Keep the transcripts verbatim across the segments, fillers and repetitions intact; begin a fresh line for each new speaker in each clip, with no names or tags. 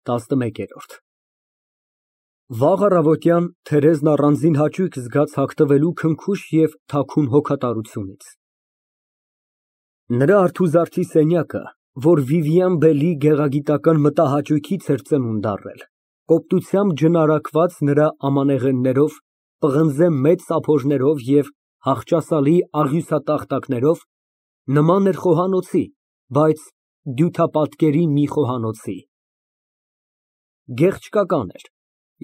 ՏԱՍՆՄԵԿԵՐՈՐԴ Վաղ առավոտյան Թերեզն առանձին հաճույք զգաց հագնվելու քնքուշ և թաքուն հոգատարությունից։ Նրա արթուզարդի սենյակը, որ Վիվիան Բելի գեղագիտական մտահաճույքից էր ծնունդ առել, կոպտությամբ ջնարակված նրա ամանեղեններով, պղնձե մեծ սափորներով և հախճասալի աղյուսատախտակներով, նման էր խոհանոցի, բայց դյութապատկերի մի խոհանոցի։ Գեղչկական էր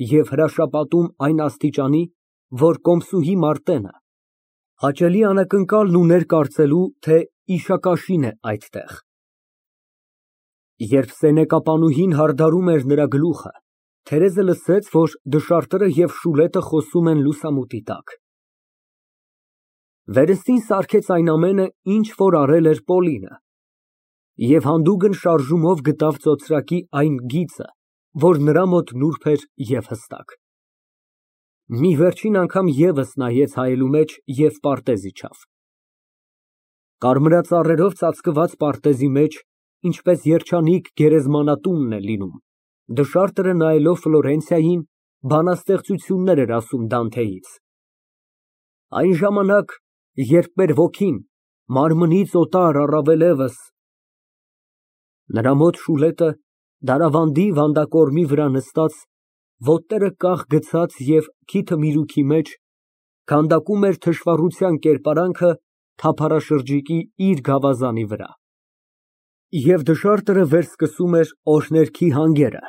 և հրաշապատում այն աստիճանի, որ կոմսուհի Մարտենը հաճելի անակնկալն ուներ կարծելու, թե իշակաշին է այդտեղ։ Երբ սենյակապանուհին հարդարում էր նրա գլուխը, Թերեզը լսեց, որ դշարտերը և Շուլետը խոսում են լուսամուտի տակ։ Վերստին սարքեց այն ամենը, ինչ որ արել էր Պոլինը, և հանդուգն շարժումով գտավ ծոծրակի այն գիծը, որ նրա մոտ նուրբ էր և հստակ։ Մի վերջին անգամ ևս նայեց հայելու մեջ և պարտեզ իջավ։ Կարմրածառերով ծածկված պարտեզի մեջ, ինչպես երջանիկ գերեզմանատունն է լինում, դշարտերը նայելով Ֆլորենցիային, բանաստեղծություններ էր ասում Դանթեից։ Այն ժամանակ, երբ մեր ոգին մարմնից օտար առավելևս… Նրա մոտ Շուլետը, դարավանդի վանդակորմի վրա նստած, ոտները կախ գցած և քիթը միրուքի մեջ, քանդակում էր թշվառության կերպարանքը թափառաշրջիկի իր գավազանի վրա։ Եվ դշարտերը վերսկսում էր օրհներգի հանգերը։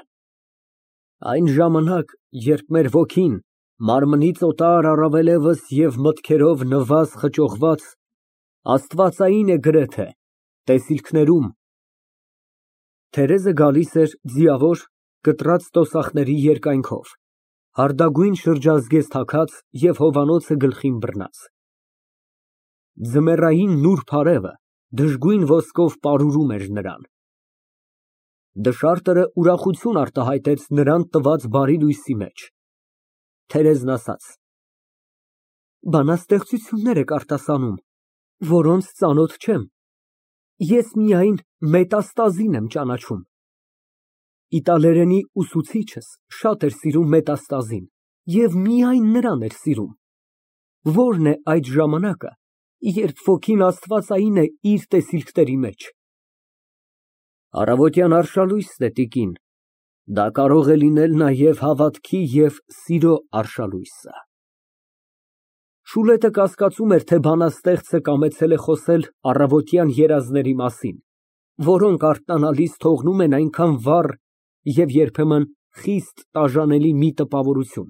Այն ժամանակ, երբ մեր ոգին, մարմնից օտար առավելևս և մտքերով նվազ խճողված, աստվածային է գրեթե, տեսիլքներում… Թերեզը գալիս էր ձիավոր, կտրած տոսախների երկայնքով, հարդագույն շրջազգեստ հագած և հովանոցը գլխին բռնած։ Ձմեռային նուրբ արևը դժգույն ոսկով պարուրում էր նրան։ Դշարտերը ուրախություն արտահայտեց նրան տված բարի լույսի մեջ։ Թերեզն ասաց. Բանաստեղծություններ եք արտասանում, որոնց ծանոթ չեմ, ես միայն մետաստազին եմ ճանաչում։ Իտալերենի ուսուցիչս շատ էր սիրում մետաստազին և միայն նրան էր սիրում։ Ո՞րն է այդ ժամանակը, երբ ոգին աստվածային է իր տեսիլքների մեջ։ Առավոտյան արշալույսն է, տիկին, դա կարող է լինել նաև հավատքի և սիրո արշալույսը։ Շուլետը կասկածում էր, թե բանաստեղծը կամեցել է խոսել առավոտյան երազների մասին, որոնք արթնանալիս թողնում են այնքան վառ և երբեմն խիստ տաժանելի մի տպավորություն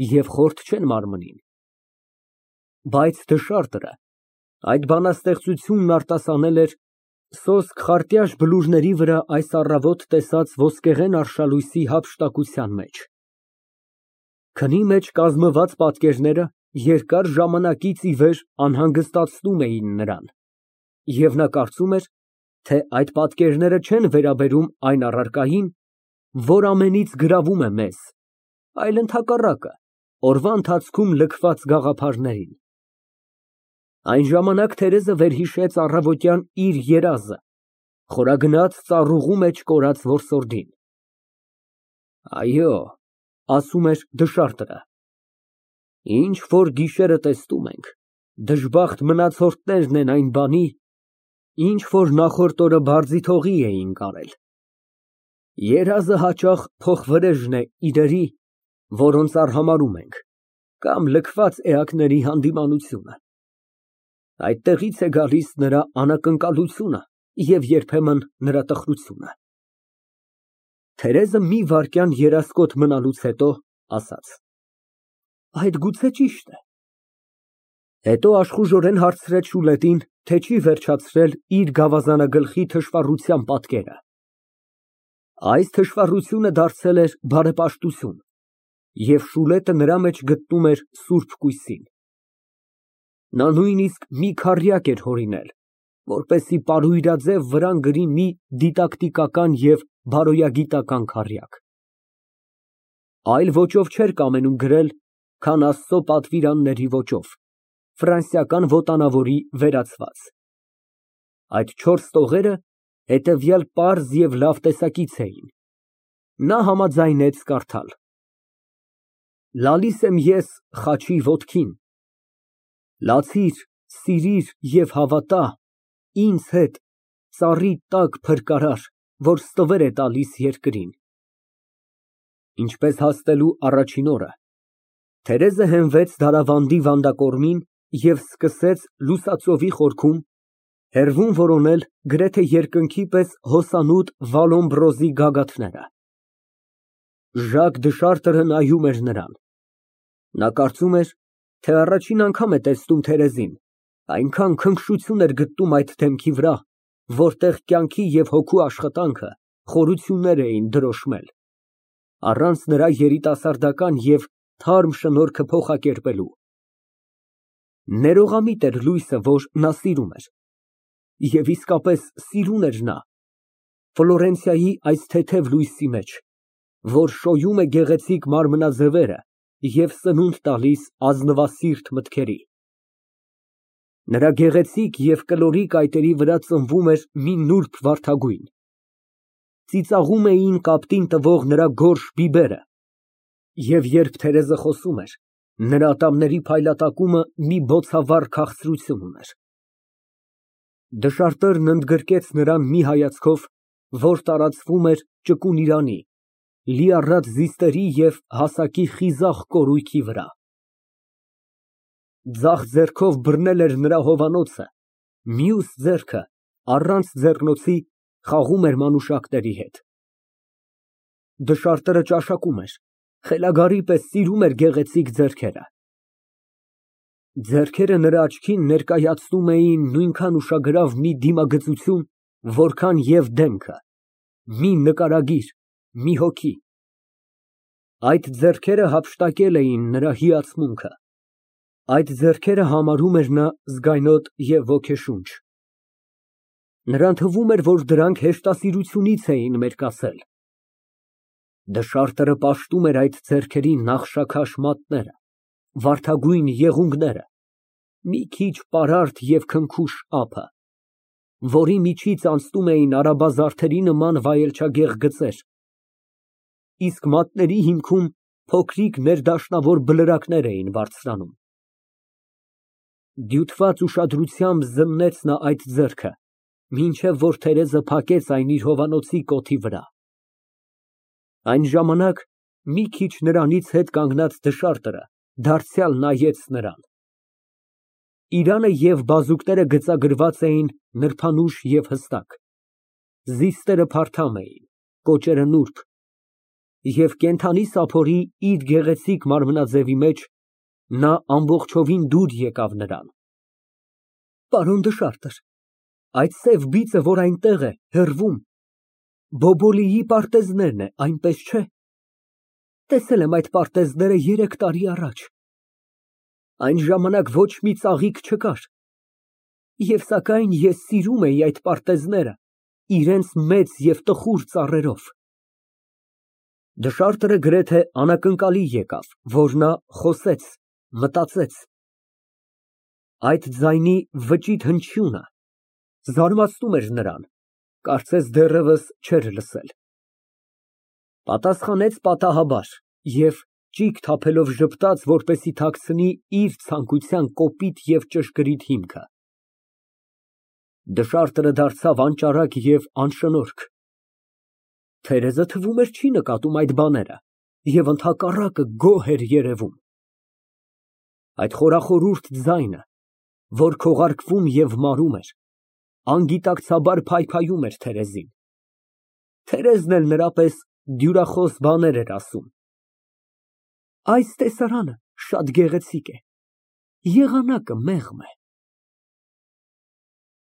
և խորթ չեն մարմնին։ Բայց դշարտերը այդ բանաստեղծությունն արտասանել էր սոսկ խարտյաշ բլուրների վրա այս առավոտ տեսած ոսկեղեն արշալույսի հափշտակության մեջ։ Քնի մեջ կազմված պատկերները երկար ժամանակից ի վեր անհանգստացնում էին նրան, և նա կարծում էր, թե այդ պատկերները չեն վերաբերում այն առարկային, որ ամենից գրավում է մեզ, այլ ընդհակառակը, օրվա ընթացքում լքված գաղափարներին։ Այն ժամանակ Թերեզը վերհիշեց առավոտյան իր երազը, խորագնաց ծառուղու մեջ կորած որսորդին։ Այո, ասում էր դշարտերը, ինչ որ գիշերը տեսնում ենք, դժբախտ մնացորդներն են այն բանի, ինչ որ նախորդ օրը բարձիթողի էինք արել։ Երազը հաճախ փոխվրեժն է իրերի, որոնց արհամարհում ենք, կամ լքված էակների հանդիմանությունը։ Այդտեղից է գալիս նրա անակնկալությունը և երբեմն նրա տխրությունը։ Թերեզը մի վայրկյան երասկոտ մնալուց հետո ասաց. Այդ գուցե ճիշտ է։ Հետո աշխուժորեն հարցրեց Շուլետին, թե չի վերջացրել իր գավազանագլխի թշվառության պատկերը։ Այս թշվառությունը դարձել էր բարեպաշտություն, և Շուլետը նրա մեջ գտնում էր սուրբ կույսին։ Նա նույնիսկ մի քառյակ էր հորինել, որպեսզի պարույրաձև վրան գրի մի դիդակտիկական և բարոյագիտական քառյակ։ Այլ ոճով չէր կամենում գրել, քան Աստծո պատվիրանների ոճով, ֆրանսիական ոտնավորի վերացված։ Այդ չորս տողերը հետևյալ պարզ և լավ տեսակից էին. Նա համաձայնեց կարդալ. Լալիս եմ ես Խաչի ոտքին, լացիր, սիրիր և հավատա ինձ հետ ծառի տակ փրկարար, որ ստվեր է տալիս երկրին։ Ինչպես հասնելու առաջին օրը Թերեզը հենվեց դարավանդի վանդակորմին և սկսեց լուսածովի խորքում, հեռվում որոնել գրեթե երկնքի պես հոսանուտ Վալոմբրոզի գագաթները։ Ժակ-Դշարտը նայում էր նրան։ Նա կարծում էր, թե առաջին անգամ է տեսնում Թերեզին, այնքան քնքշություն էր գտնում այդ դեմքի վրա, որտեղ կյանքի և հոգու աշխատանքը խորություններ էին դրոշմել, առանց նրա երիտասարդական և թարմ շնորհքը փոխակերպելու։ Ներողամիտ էր լույսը, որ նա սիրում էր, և իսկապես սիրուն էր նա Ֆլորենցիայի այս թեթև լույսի մեջ, որ շոյում է գեղեցիկ մարմնաձևերը և սնունդ տալիս ազնվասիրտ մտքերի։ Նրա գեղեցիկ և կլորի կայտերի վրա ծնվում էր մի նուրբ վարդագույն, ծիծաղում էին կապտին տվող նրա գորշ բիբերը, և երբ Թերեզը խոսում էր, նրա ատամների փայլատակումը մի բոցավառ քաղցրություն ուներ։ Դշարտերն ընդգրկեց նրան մի հայացքով, որ տարածվում էր ճկուն իրանի, լիառատ զիստերի և հասակի խիզախ կորույքի վրա։ Ձախ ձեռքով բռնել էր նրա հովանոցը, մյուս ձեռքը, առանց ձեռնոցի, խաղում էր մանուշակների հետ։ Դշարտերը ճաշակում էր, խելագարի պես սիրում էր գեղեցիկ ձեռքերը։ Ձեռքերը նրա աչքին ներկայացնում էին նույնքան ուշագրավ մի դիմագծություն, որքան և դեմքը, մի նկարագիր, մի հոգի։ Այդ ձեռքերը հափշտակել էին նրա հիացմունքը, այդ ձեռքերը համարում էր նա զգայնոտ և ոգեշունչ։ Նրան թվում էր, որ դրանք հեշտասիրությունից էին մերկացել։ Դշարտերը պաշտում էր այդ ձեռքերի նախշաքաշ մատները, վարդագույն եղունգները, մի քիչ պարարտ և քնքուշ ափը, որի միջից անցնում էին արաբազարդերի նման վայելչագեղ գծեր, իսկ մատների հիմքում փոքրիկ ներդաշնավոր բլրակներ էին բարձրանում։ Դյութված ուշադրությամբ զննեց նա այդ ձեռքը, մինչև որ Թերեզը փակեց այն իր հովանոցի կոթի վրա։ Այն ժամանակ մի քիչ նրանից հետ կանգնած դշարտերը դարձյալ նայեց նրան։ Իրանը և բազուկները գծագրված էին նրբանուշ և հստակ, զիստերը փարթամ էին, կոճերը նուրբ, և կենդանի սափորի իր գեղեցիկ մարմնաձևի մեջ նա ամբողջովին դուր եկավ նրան։ Պարոն դշարտր, այդ սև բիծը, որ այնտեղ է, հեռվում, Բոբոլիի պարտեզներն է, այնպես չէ՞։ Տեսել եմ այդ պարտեզները երեք տարի առաջ։ Այն ժամանակ ոչ մի ծաղիկ չկար, և սակայն ես սիրում էի այդ պարտեզները իրենց մեծ և տխուր ծառերով։ Դշարտերը գրեթե անակնկալի եկավ, որ նա խոսեց, մտածեց։ Այդ ձայնի վճիտ հնչյունը զարմացնում էր նրան, կարծես դեռևս չէր լսել։ Պատասխանեց պատահաբար և ճիգ թափելով ժպտաց, որպեսզի թաքցնի իր ցանկության կոպիտ և ճշգրիտ հիմքը։ Դշարտերը դարձավ անճարակ և անշնորհք։ Թերեզը, թվում էր, չի նկատում այդ բաները և ընդհակառակը գոհ էր երևում։ Այդ խորախորուրդ ձայնը, որ քողարկվում և մարում էր, անգիտակցաբար փայփայում էր Թերեզին։ Թերեզն էլ նրա պես դյուրախոս բաներ էր ասում։ Այս տեսարանը շատ գեղեցիկ է, եղանակը մեղմ է։